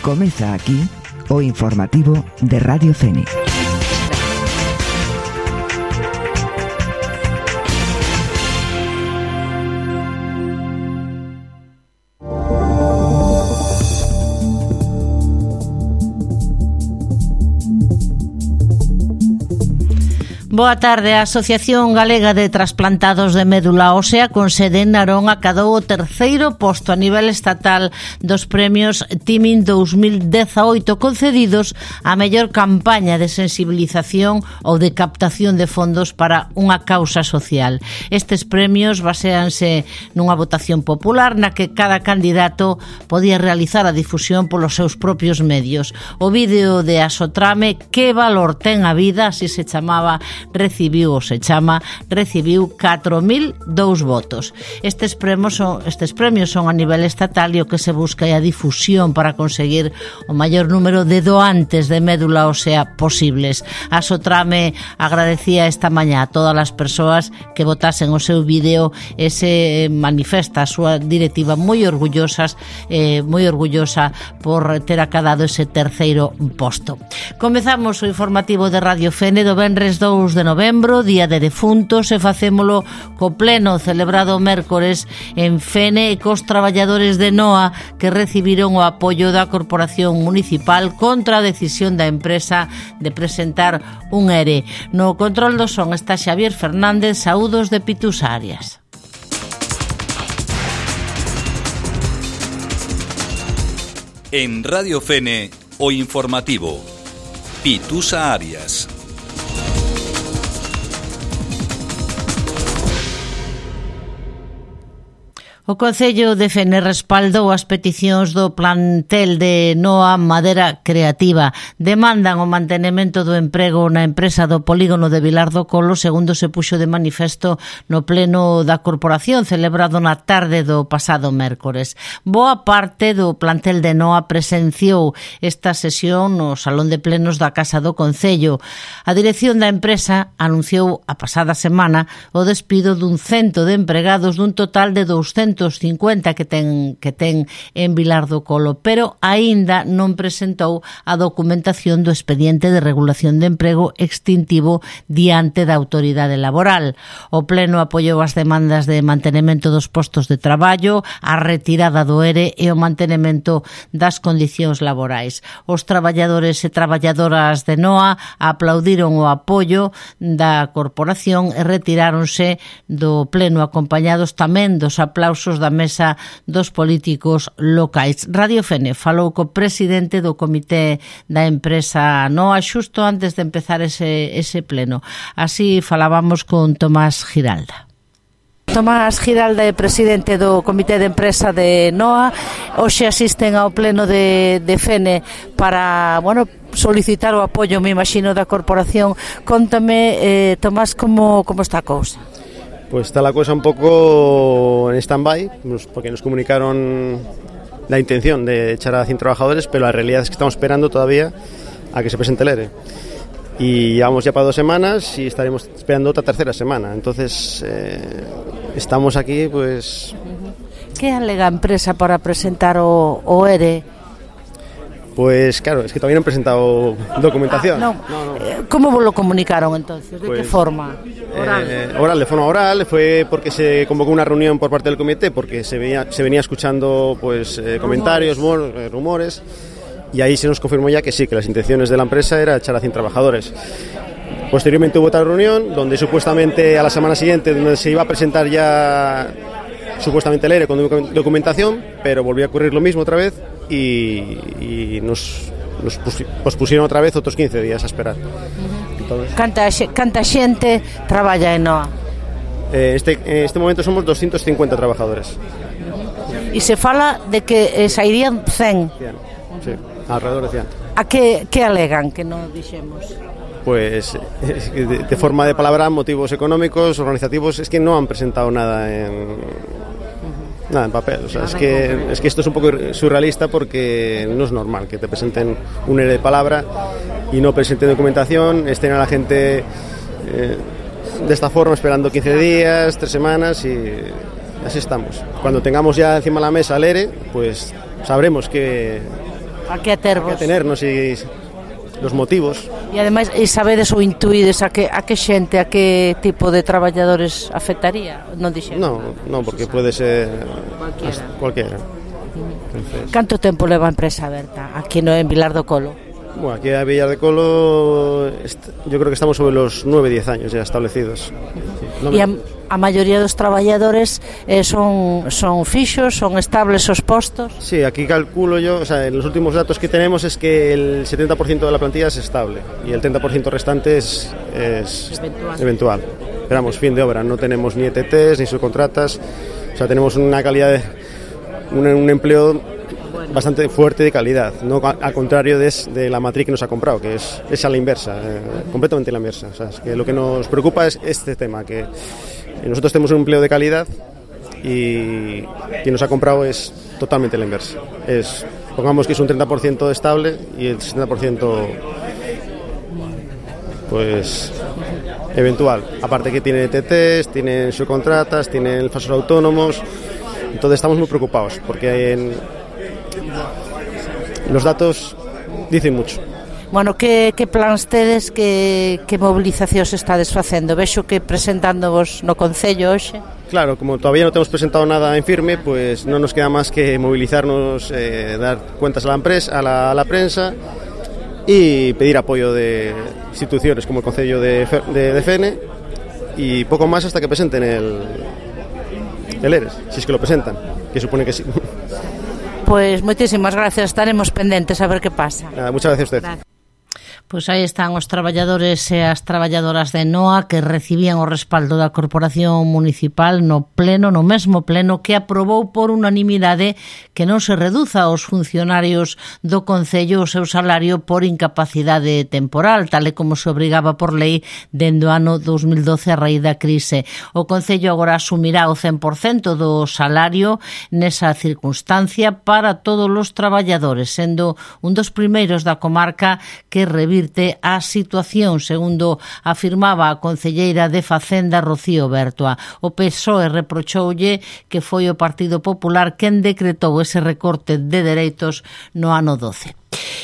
Comeza aquí o informativo de Radio Fene. Boa tarde. A Asociación Galega de Trasplantados de Médula Ósea con sede en Narón acadou o terceiro posto a nivel estatal dos premios Timin 2018 concedidos á mellor campaña de sensibilización ou de captación de fondos para unha causa social. Estes premios baséanse nunha votación popular na que cada candidato podía realizar a difusión polos seus propios medios. O vídeo de Asotrame, Que valor ten a vida, así se chamaba, recibiu 4.002 votos. Estes premios son a nivel estatal e o que se busca é a difusión para conseguir o maior número de doantes de médula ósea posibles. A Sotrame agradecía esta mañá a todas as persoas que votasen o seu vídeo e se manifesta a súa directiva moi orgullosa por ter acadado ese terceiro posto. Comezamos o informativo de Radio Fene do venres 2 de novembro, Día de Defuntos, e facémolo co pleno celebrado mércores en Fene e cos traballadores de NOA que recibiron o apoio da Corporación Municipal contra a decisión da empresa de presentar un ERE. No control do son está Xavier Fernández. Saúdos de Pitus Arias. En Radio Fene, o informativo Pitusa Arias. O Concello de Fene respaldou as peticións do plantel de NOA Madera Creativa. Demandan o mantenemento do emprego na empresa do polígono de Vilar do Colo, segundo se puxo de manifesto no pleno da corporación celebrado na tarde do pasado mércores. Boa parte do plantel de NOA presenciou esta sesión no Salón de Plenos da Casa do Concello. A dirección da empresa anunciou a pasada semana o despido dun 100 de empregados dun total de 250 que ten en Vilar do Colo, pero aínda non presentou a documentación do expediente de regulación de emprego extintivo diante da autoridade laboral. O pleno apoiou as demandas de mantenemento dos postos de traballo, a retirada do ERE e o mantenemento das condicións laborais. Os traballadores e traballadoras de NOA aplaudiron o apoio da corporación e retiráronse do pleno acompañados tamén dos aplausos da mesa dos políticos locais. Radio Fene falou co presidente do comité da empresa NOA xusto antes de empezar ese pleno. Así falábamos con Tomás Giralda. Tomás Giralda é presidente do comité de empresa de NOA. Hoxe asisten ao pleno de Fene para, solicitar o apoio, me imagino, da corporación. Cóntame, Tomás, como está a cousa? Pues está la cosa un poco en stand-by, porque nos comunicaron la intención de echar a 100 trabajadores, pero la realidad es que estamos esperando todavía a que se presente el ERE. Y llevamos ya para 2 semanas y estaremos esperando otra tercera semana. Entonces, estamos aquí, pues... ¿Qué alega a empresa para presentar o ERE? Pues claro, es que todavía no han presentado documentación. No. ¿Cómo lo comunicaron entonces? ¿De qué forma? Oral, de forma oral. Fue porque se convocó una reunión por parte del comité, porque se venía escuchando comentarios, rumores, y ahí se nos confirmó ya que sí, que las intenciones de la empresa era echar a 100 trabajadores. Posteriormente hubo otra reunión donde supuestamente a la semana siguiente donde se iba a presentar ya supuestamente el ERE con documentación, pero volvió a ocurrir lo mismo otra vez y nos pospusieron otra vez otros 15 días a esperar. Entonces, ¿Canta xente traballa en NOA? En este momento somos 250 trabajadores. E se fala de que sairían 100. Sí, alrededor de 100. A que alegan que non dixemos? Pues de forma de palabra, motivos económicos, organizativos, es que no han presentado nada en papel. O sea, es que esto es un poco surrealista porque no es normal que te presenten un ERE de palabra y no presenten documentación, estén a la gente de esta forma esperando 15 días, 3 semanas y así estamos. Cuando tengamos ya encima de la mesa el ERE, pues sabremos qué A que atervos? A que atenernos e os motivos. E ademais, sabedes ou intuídes a que xente, a que tipo de traballadores afectaría? Non dixeron? Non, porque pode ser cualquiera. Canto tempo leva a empresa aberta aquí en Vilar do Colo? Bueno, aquí a Vilar do Colo yo creo que estamos sobre los 9-10 años ya establecidos. E a maioría dos traballadores son fixos, son estables os postos? Sí, aquí calculo yo, o sea, en los últimos datos que tenemos es que el 70% de la plantilla es estable y el 30% restante es eventual. Pero vamos, fin de obra, no tenemos ni ETTs ni subcontratas, o sea, tenemos una calidad un empleo bastante fuerte de calidad, no al contrario de la matriz que nos ha comprado, que es a la inversa, completamente a la inversa. O sea, es que lo que nos preocupa es este tema, que nosotros tenemos un empleo de calidad y quien nos ha comprado es totalmente la inversa. Pongamos que es un 30% estable y el 60% pues eventual. Aparte que tiene ETTs, tienen subcontratas, tienen falsos autónomos. Entonces estamos muy preocupados porque los datos dicen mucho. Bueno, que plans tedes, que movilizacións estades facendo? Vexo que presentándovos no Concello hoxe. Claro, como todavía no tenemos presentado nada en firme, pues no nos queda más que movilizarnos, dar cuentas a la prensa y pedir apoyo de instituciones como el Concello de Fene y poco más hasta que presenten el ERES, si es que lo presentan, que supone que sí. Pois moitísimas gracias, estaremos pendentes a ver que pasa. Muchas gracias a usted. Gracias. Pois aí están os traballadores e as traballadoras de NOA que recibían o respaldo da Corporación Municipal no mesmo pleno que aprobou por unanimidade que non se reduza aos funcionarios do Concello o seu salario por incapacidade temporal, tal e como se obrigaba por lei dende o ano 2012 a raíz da crise. O Concello agora asumirá o 100% do salario nesa circunstancia para todos os traballadores, sendo un dos primeiros da comarca que revirte a situación, segundo afirmaba a concelleira de Facenda Rocío Bertoa. O PSOE reprochoulle que foi o Partido Popular quen decretou ese recorte de dereitos no ano 12.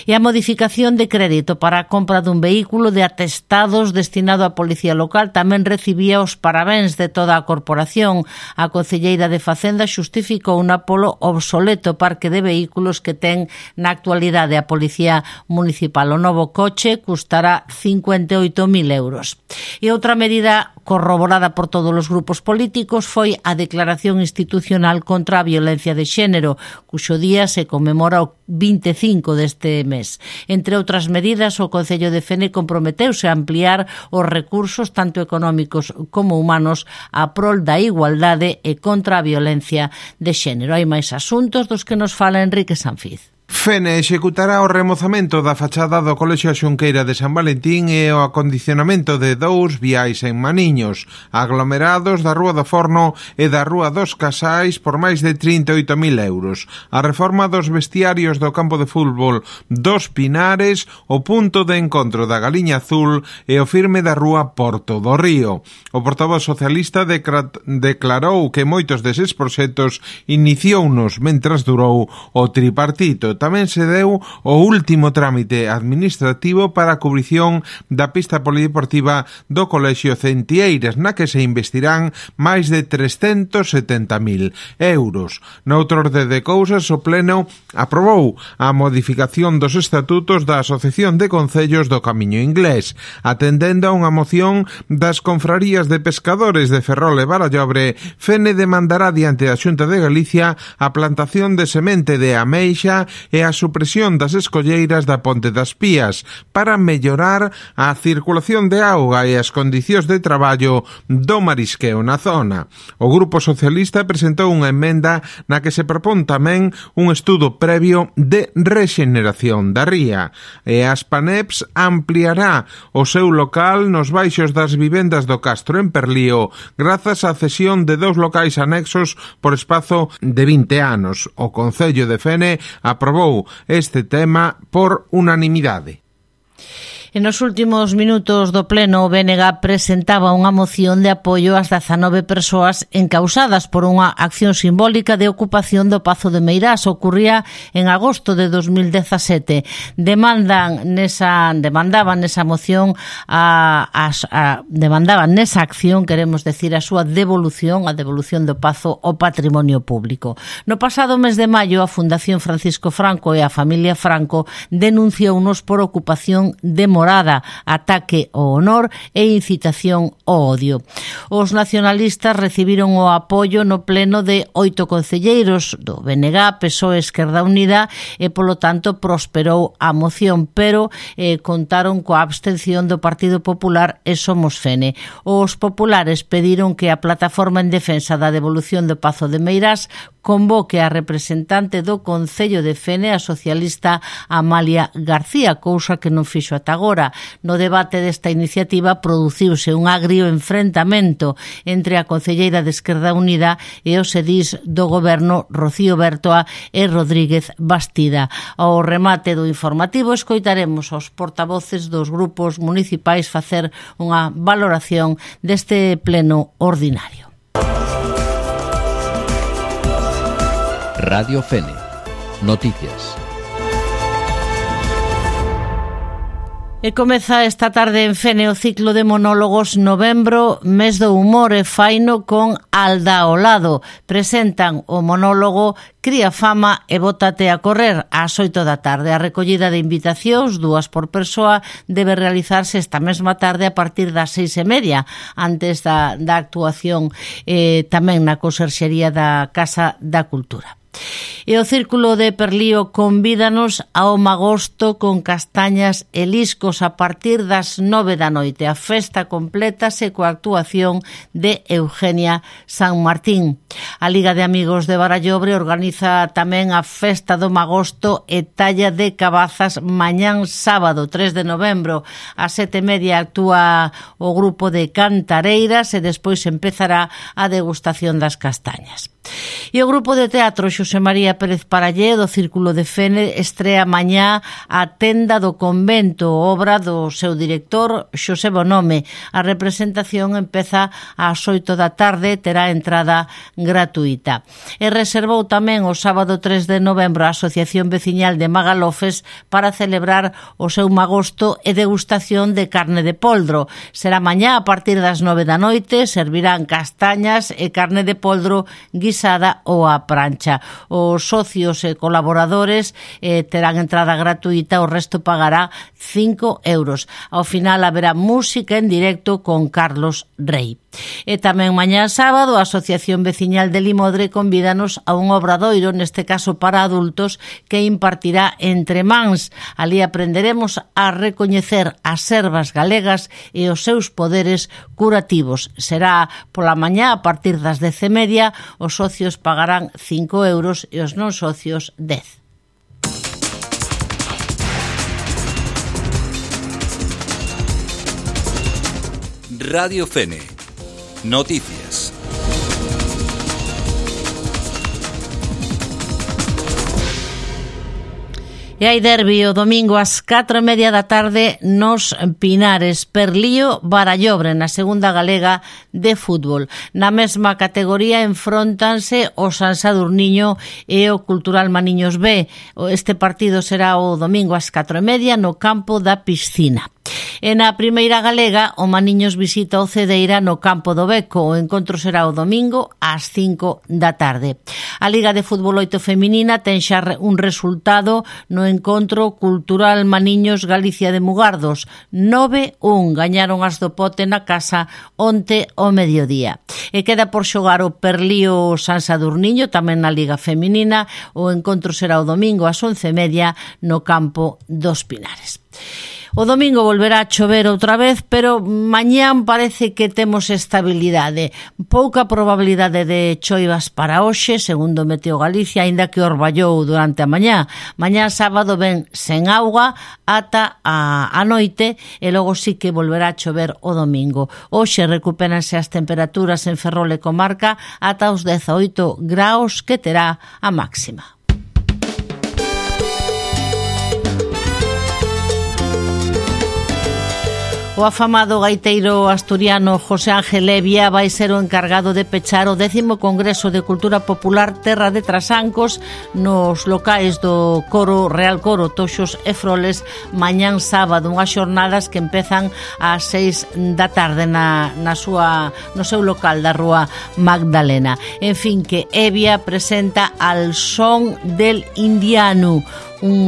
E a modificación de crédito para a compra dun vehículo de atestados destinado á Policía Local tamén recibía os parabéns de toda a corporación. A concelleira de Facenda xustificou polo obsoleto parque de vehículos que ten na actualidade a Policía Municipal. O novo coche custará 58.000 euros. E outra medida corroborada por todos os grupos políticos foi a declaración institucional contra a violencia de xénero, cuxo día se conmemora o 25 deste mes. Entre outras medidas, o Concello de Fene comprometeuse a ampliar os recursos tanto económicos como humanos a prol da igualdade e contra a violencia de xénero. Hai máis asuntos dos que nos fala Enrique Sanfiz. Fene executará o remozamento da fachada do Colexio Xunqueira de San Valentín e o acondicionamento de 2 viais en Maniños, aglomerados da Rúa do Forno e da Rúa dos Casais por máis de 38.000 euros. A reforma dos vestiarios do campo de fútbol dos Pinares, o punto de encontro da Galiña Azul e o firme da Rúa Porto do Río. O portavoz socialista declarou que moitos deses proxectos iniciounos mentras durou o tripartito. Tamén se deu o último trámite administrativo para a cubrición da pista polideportiva do Colexio Centieiras, na que se investirán máis de 370.000 euros. Noutro orde de cousas, o Pleno aprobou a modificación dos estatutos da Asociación de Concellos do Camiño Inglés, atendendo a unha moción das confrarías de pescadores de Ferrol e Barallobre. Fene demandará diante da Xunta de Galicia a plantación de semente de ameixa e a supresión das escolleiras da Ponte das Pías para mellorar a circulación de auga e as condicións de traballo do marisqueo na zona. O Grupo Socialista presentou unha emenda na que se propón tamén un estudo previo de rexeneración da ría, e as Paneps ampliará o seu local nos baixos das vivendas do Castro en Perlío grazas á cesión de 2 locais anexos por espazo de 20 anos. O Concello de Fene aprobou este tema por unanimidade. En os últimos minutos do pleno, o BNG presentaba unha moción de apoio ás 19 persoas encausadas por unha acción simbólica de ocupación do Pazo de Meirás. Ocurría en agosto de 2017. Demandaban nesa moción demandaban nesa acción, queremos decir, a súa devolución, a devolución do Pazo ao patrimonio público. No pasado mes de maio, a Fundación Francisco Franco e a familia Franco denunciounos por ocupación de morada, ataque ao honor e incitación ao odio. Os nacionalistas recibiron o apoio no pleno de 8 concelleiros do BNG, PSOE, Esquerda Unida e, polo tanto, prosperou a moción, pero contaron coa abstención do Partido Popular e Somos Fene. Os populares pediron que a Plataforma en Defensa da Devolución do Pazo de Meirás convoque a representante do Concello de Fene, a socialista Amalia García, cousa que non fixo ata agora. No debate desta iniciativa produciuse un agrio enfrentamento entre a concelleira de Esquerda Unida e os edís do goberno Rocío Bertoa e Rodríguez Bastida. Ao remate do informativo escoitaremos aos portavoces dos grupos municipais facer unha valoración deste pleno ordinario. Radio Fene. Noticias. E comeza esta tarde en Fene o ciclo de monólogos Novembro, mes do humor, e faino con Alda ao lado. Presentan o monólogo Cría fama e bótate a correr ás 8 da tarde. A recollida de invitacións, 2 por persoa, debe realizarse esta mesma tarde a partir das 6:30, antes da actuación tamén na conserxería da Casa da Cultura. E o Círculo de Perlío convídanos ao magosto con castañas e liscos a partir das 9 da noite. A festa complétase coa actuación de Eugenia San Martín. A Liga de Amigos de Barallobre organiza tamén a festa do magosto e talla de cabazas mañán sábado 3 de novembro. A 7:30 actúa o grupo de cantareiras e despois empezará a degustación das castañas. E o grupo de teatro Xosé María Pérez Parallé do Círculo de Fene estrea mañá a Tenda do Convento, obra do seu director Xosé Bonome. A representación empeza ás 8 da tarde, terá entrada gratuita. E reservou tamén o sábado 3 de novembro a Asociación Veciñal de Magalofes para celebrar o seu magosto e degustación de carne de poldro. Será mañá a partir das 9 da noite, servirán castañas e carne de poldro guisada ou a prancha. Os socios e colaboradores terán entrada gratuita, o resto pagará 5 euros. Ao final haberá música en directo con Carlos Rey. E tamén mañá sábado a Asociación Veciñal de Limodre convídanos a un obradoiro, neste caso para adultos, que impartirá entre mans. Ali aprenderemos a recoñecer as servas galegas e os seus poderes curativos. Será pola mañá a partir das 10:30, os socios pagarán 5 euros e os non socios 10. Radio Fene. Noticias. E hai derbi o domingo ás 4:30 da tarde nos Pinares, Perlío Barallobre, na segunda galega de fútbol. Na mesma categoría enfróntanse o San Sadurniño e o Cultural Maniños B. Este partido será o domingo ás 4:30 no campo da Piscina. E na primeira galega, o Maniños visita o Cedeira no campo do Beco. O encontro será o domingo ás 5 da tarde. A Liga de Fútbol 8 feminina ten xa un resultado no encontro Cultural Maniños Galicia de Mugardos. 9-1 gañaron as do Pote na casa onte ao mediodía. E queda por xogar o Perlío San Sadurniño tamén na Liga feminina. O encontro será o domingo ás 11:30 no campo dos Pinares. O domingo volverá a chover outra vez, pero mañán parece que temos estabilidade. Pouca probabilidade de choivas para hoxe, segundo Meteo Galicia, aínda que orballou durante a mañá. Mañán sábado ven sen auga ata a noite e logo sí que volverá a chover o domingo. Hoxe recupéranse as temperaturas en Ferrol e comarca ata os 18 graus que terá a máxima. O afamado gaiteiro asturiano José Ángel Evia vai ser o encargado de pechar o 10º Congreso de Cultura Popular Terra de Trasancos nos locais do Coro Real Coro Toxos e Froles mañán sábado, unhas xornadas que empezan ás 6 da tarde no seu local da Rúa Magdalena. En fin, que Evia presenta Al Son del Indiano,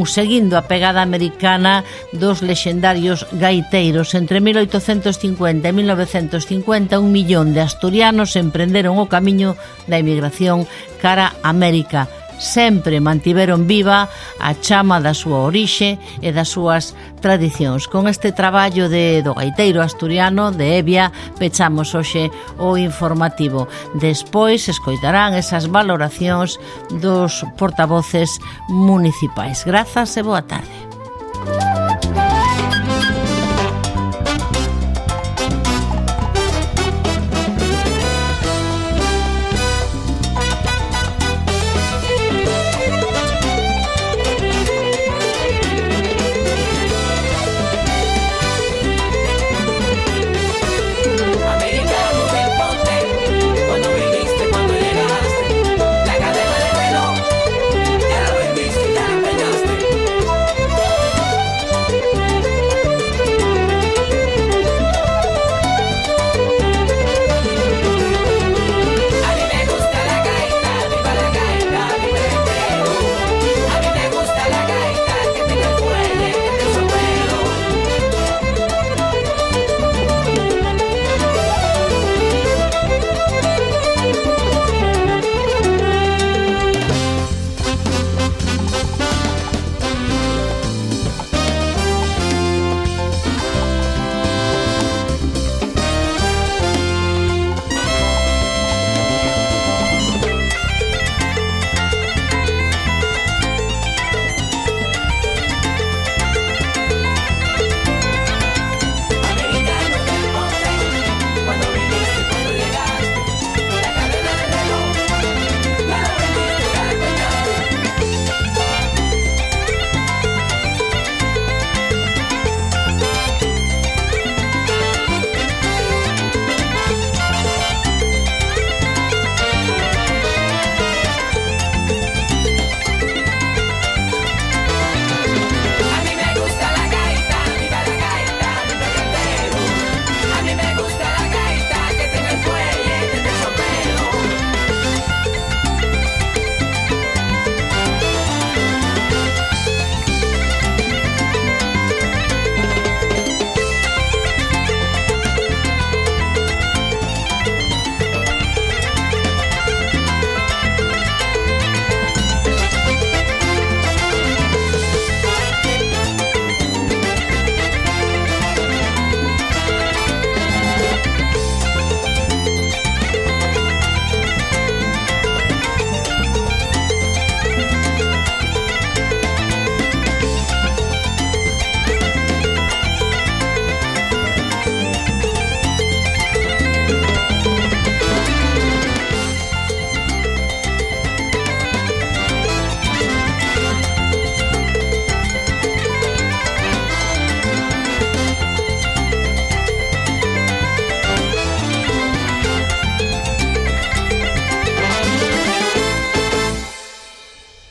seguindo a pegada americana dos lexendarios gaiteiros. Entre 1850 e 1950 un millón de asturianos emprenderon o camiño da emigración cara a América. Sempre mantiveron viva a chama da súa orixe e das súas tradicións. Con este traballo do gaiteiro asturiano de Evia pechamos hoxe o informativo. Despois escoitarán esas valoracións dos portavoces municipais. Grazas e boa tarde.